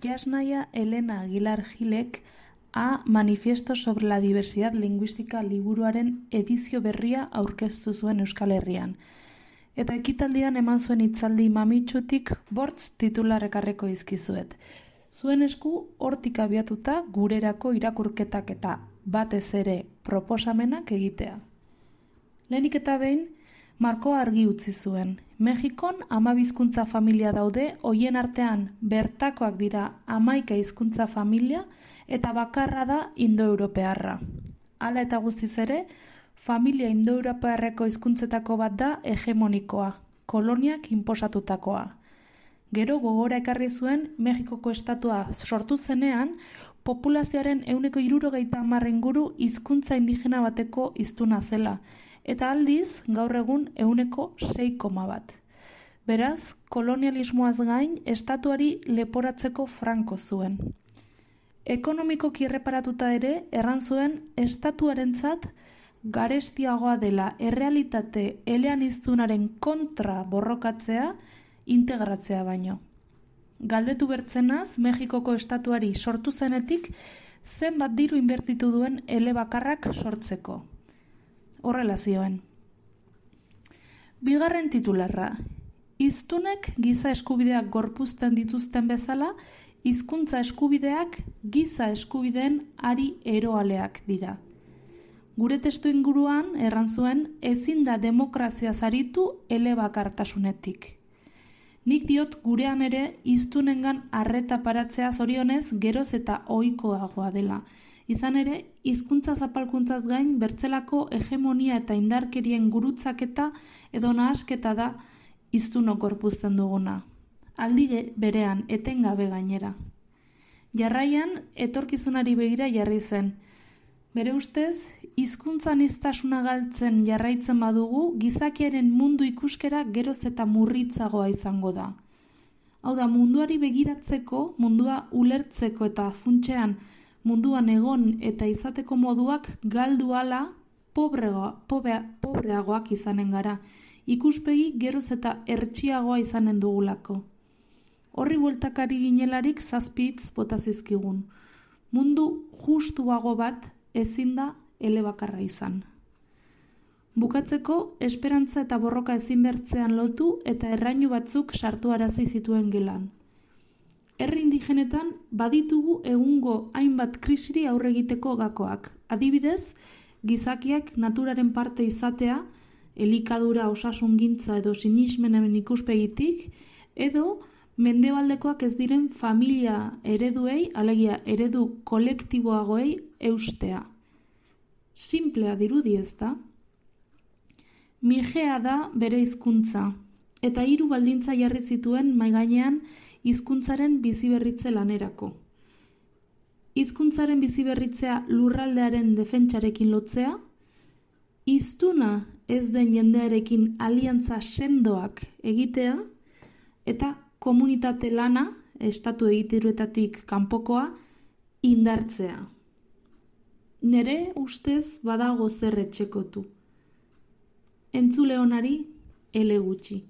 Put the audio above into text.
Yasnaya Elena Aguilar Gilek A Manifiesto sobre la Diversidad Lingüística liburuaren edizio berria aurkeztu zuen Euskal Herrian. Eta ekitaldian eman zuen hitzaldi mamitsutik 5 titular ekarriko dizkizuet. Zuen esku hortik abiatuta gurerako irakurketak eta batez ere proposamenak egitea. Lehenik eta behin, markoa argi utzi zuen. Mexikon 12 hizkuntza familia daude, hoien artean bertakoak dira 11 hizkuntza familia eta bakarra da indoeuropearra. Hala eta guztiz ere, familia indoeuropearreko hizkuntzetako bat da hegemonikoa, koloniak inposatutakoa. Gero gogora ekarri zuen Mexikoko estatua sortu zenean, populazioaren 70% inguru hizkuntza indigena bateko hiztuna zela, eta aldiz gaur egun 6,1. Beraz, kolonialismoaz gain, estatuari leporatzeko franko zuen. Ekonomikoki erreparatuta ere, erran zuen estatuarentzat garestiagoa dela errealitate eleaniztunaren kontra borrokatzea, integratzea baino. Galdetu bertzenaz, Mexikoko estatuari sortu zenetik, zenbat diru inbertitu duen elebakarrak sortzeko. Horrela zioen. Bigarren titularra. Hiztunek giza eskubideak gorpuzten dituzten bezala, hizkuntza eskubideak giza eskubideen ari eroaleak dira. Gure testu inguruan, erran zuen, ezin da demokrazia zaritu elebakartasunetik. Nik diot gurean ere hiztunengan arreta paratzea zorionez geroz eta ohikoagoa dela. Izan ere, hizkuntza zapalkuntzaz gain bertzelako hegemonia eta indarkerien gurutzaketa edo nahasketa da hiztunok gorpuzten duguna. Aldi berean etengabe gainera. Jarraian, etorkizunari begira jarri zen. Bere ustez, hizkuntza aniztasuna galtzen jarraitzen badugu, gizakiaren mundu ikuskera geroz eta murritzagoa izango da. Hau da, munduari begiratzeko, mundua ulertzeko eta funtsean munduan egon eta izateko moduak galdu ala pobreagoak izanen gara, ikuspegi geroz eta hertsiagoa izanen dugulako. Horri bueltakari ginelarik 7 hitz bota zizkigun. Mundu justuago bat ezin da elebakarra izan. Bukatzeko, esperantza eta borroka ezin bertzean lotu eta errainu batzuk sartuarazi zituen gelan. Herri indigenetan baditugu egungo hainbat krisiri aurre egiteko gakoak. Adibidez, gizakiak naturaren parte izatea, elikadura, osasungintza edo sinismenen ikuspegitik, edo mendebaldekoak ez diren familia ereduei, alegia eredu kolektiboagoei eustea. Simplea dirudi ezta? Migea da bere hizkuntza, eta 3 baldintza jarri zituen mahai gainean hizkuntzaren biziberritze lanerako. Hizkuntzaren biziberritzea lurraldearen defentsarekin lotzea, hiztuna ez den jendearekin aliantza sendoak egitea, eta komunitate lana, estatu egituruetatik kanpokoa, indartzea. Nere ustez badago zer etxekotu. Entzule onari, ele gutxi.